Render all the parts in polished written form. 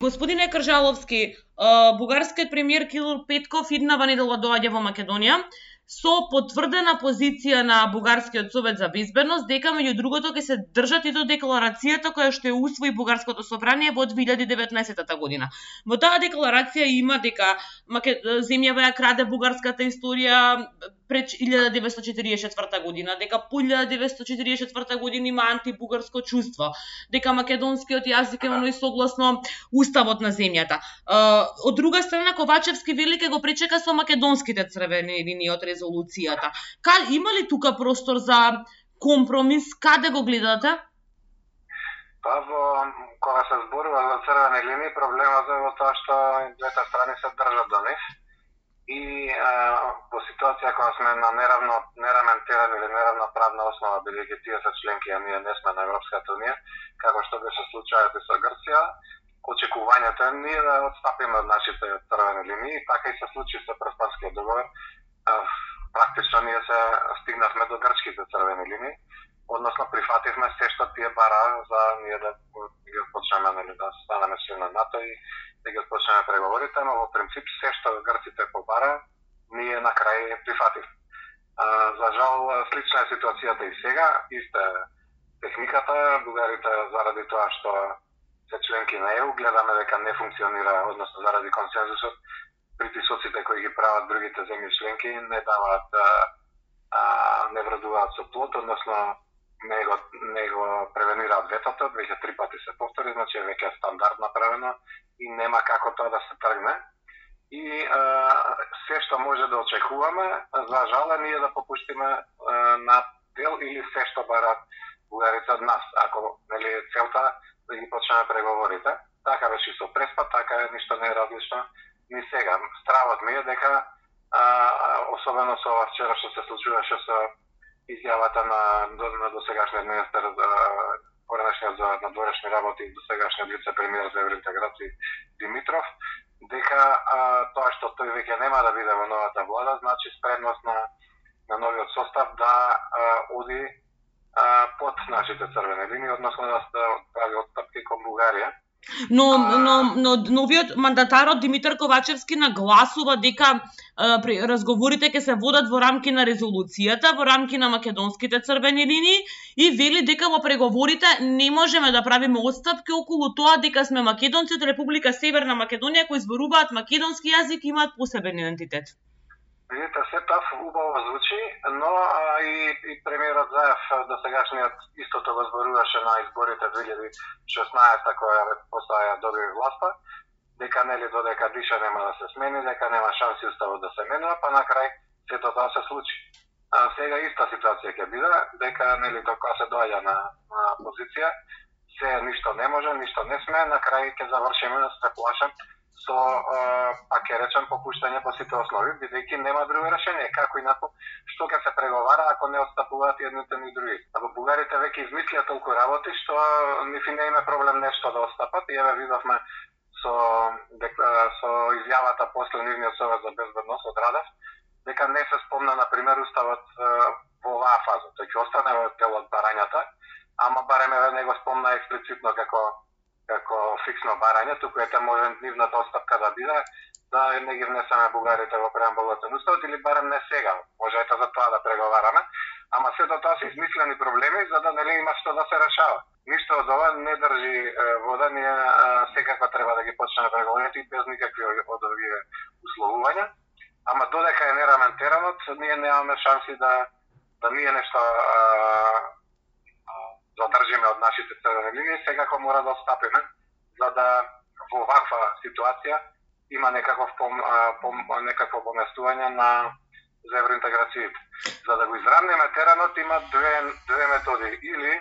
Господине Кржаловски, бугарскиот премиер Кирил Петков иднава недела доаѓа во Македонија со потврдена позиција на Бугарскиот совет за безбедност дека меѓу другото ќе се држат и до декларацијата која што ја усвои Бугарското собрание во 2019 година. Во таа декларација има дека земјава ја краде бугарската историја пред 1944 година, дека по 1944 година има антибугарско чувство, дека македонскиот јазик е оној согласно уставот на земјата. Од друга страна, Ковачевски вели ке го пречека со македонските црвени линии од резолуцијата. Има ли тука простор за компромис? Каде го гледате? Кога се зборува за црвени линии, проблемот е во тоа што двете страни се држат до нив. И во ситуација кога сме на неравнотерна или неравна правна основа, бидејќи тие се членки, а ние не сме на Европската унија, како што беше случајот и со Грција, очекувањето е ние да отстапиме од нашите црвени линии, така и се случи со Преспанскиот договор. Практично ние се стигнавме до грчките црвени линии, односно прифативме се што тие бара за ние да ги почнеме да станеме член на НАТО и да ги почнеме преговорите, но во принцип се што грците побара, ние на крај прифатив. За жал, слична е ситуацијата и сега, иста техниката, бугарите заради тоа што се членки на ЕУ, гледаме дека не функционира, односно заради консензусот, притисоците кои ги прават другите земји членки не даваат, не вредуваат со плод, односно не го превенираат ветото, веќе 3 пати се повтори, значи е веќе стандард направено и нема како тоа да се тргне. И се што може да очекуваме, за жал е ние да попуштиме на дел или се што барат бугарите од нас, ако нели целта да ги почнеме преговорите. Така беше со Преспа, така е, ништо не е различно ни сега. Стравот ми е дека, особено со ова вчера што се случуваше со изјавата на досегашниот министер поранешниот за надворешни работи и досегашниот вице-премиер за евроинтеграција Димитров, дека тоа што тој веќе нема да биде во новата влада, значи спремност на новиот состав да оди под нашите црвени линии, односно да прави отстапки кон Бугарија. Но новиот мандатарот Димитар Ковачевски нагласува дека разговорите ќе се водат во рамки на резолуцијата, во рамки на македонските црвени линии и вели дека во преговорите не можеме да правиме отстапки околу тоа дека сме македонци од Република Северна Македонија кои зборуваат македонски јазик и имаат посебен идентитет. Видите, се тоа убаво звучи, но и премиерот Заев досегашниот истото го зборуваше на изборите 2016 која после ја доби власта, дека нели додека диша нема да се смени, дека нема шанси уставот да се менува, па на крај сето тоа се случи. Сега иста ситуација ќе биде, дека нели кога се доаѓа на позиција, се ништо не може, ништо не сме, на крај ќе завршиме, се плашам, со, ќе речем, попуштање по сите основи, бидејќи нема друго решение. Како инаку, што ќе се преговара ако не отстапуваат едните ни други. Ако бугарите веќе измислија толку работи, што нифи не има проблем нешто да отстапат, и еве видовме со изјавата после нивниот совет за безбедност од Радев, дека не се спомна, например, уставот во оваа фаза. Тој ќе остане во дел од барањата, ама барем не го спомна експлицитно како фиксно барање, туку ете може нивната отстапка да биде, да не ги внесеме бугарите во преамбулот на уставот, или барем не сега, може ето за тоа да преговараме, ама сето тоа се измислени проблеми, за да нели има што да се решава. Ништо од ова не држи вода, ние секако треба да ги почнеме преговорите и без никакви од овие условувања, ама додека е неравнотеранот, ние немаме шанси да ние нешто задржиме од нашите црвени линии, секако мора да отстапиме, за да во ваква ситуација има некакво поместување за евроинтеграцијите. За да го изравниме теренот има две методи, или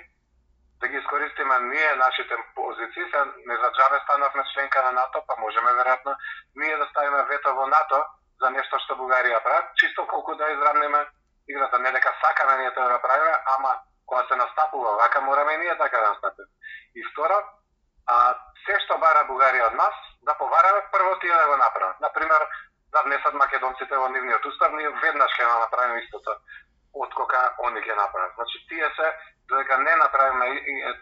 да ги искористиме ние нашите позиции, се не за џабе станавме членка на НАТО, па можеме веројатно ние да ставиме вето во НАТО за нешто што Бугарија прави, чисто колку да изравниме играта, не дека сакаме ние тоа да правиме, ама кога се настапува вака, мораме и ние така да настапиме. И второ, се што бара Бугарија од нас, да повараме прво тие да го направат. Например, да внесат македонците во нивниот устав, ние веднаш ќе направиме истото од кога они ќе направат. Значи, тие се, додека не направиме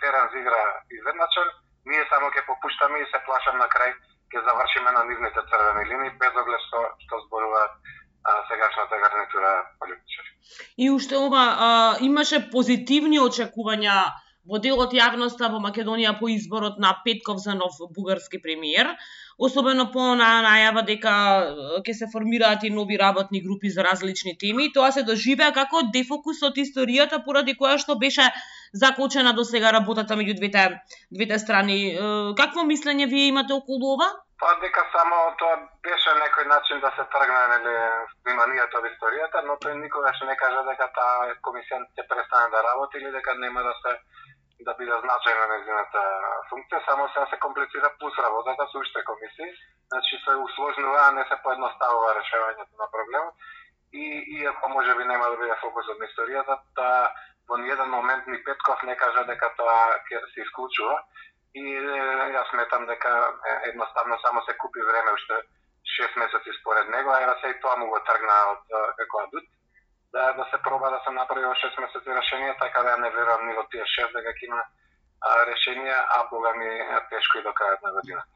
терен за игра изведначен, ние само ќе попуштаме и се плашам на крај ќе завршиме на нивните црвени линии без оглед што зборуваат сегашната гарнитура политичари. И уште ова имаше позитивни очекувања во делот јавноста во Македонија по изборот на Петков за нов бугарски премиер, особено по најава дека ќе се формираат и нови работни групи за различни теми. Тоа се доживеа како дефокус од историјата поради која што беше закочена до сега работата меѓу двете страни. Какво мислење вие имате околу ова? Па дека само тоа беше некој начин да се тргне вниманието од историјата, но тој никогаш не кажа дека таа комисија ќе престане да работи или дека нема да биде значајна нејзината функција, само се комплицира плюс работата со уште комисии, значи се усложнува, а не се поедноставува решавањето на проблемот. И иако можеби нема да биде фокусот на историјата, во ниеден момент ни Петков не кажа дека тоа ќе се исклучува. И јас сметам дека едноставно само се купи време уште 6 месеци според него, а ева се и тоа му го тргна од како адут, да се проба да се направи во 6 месеци решение, така да не верувам ни во тие 6 дека ќе има решение, а бога ми тешко и до крајот на годината.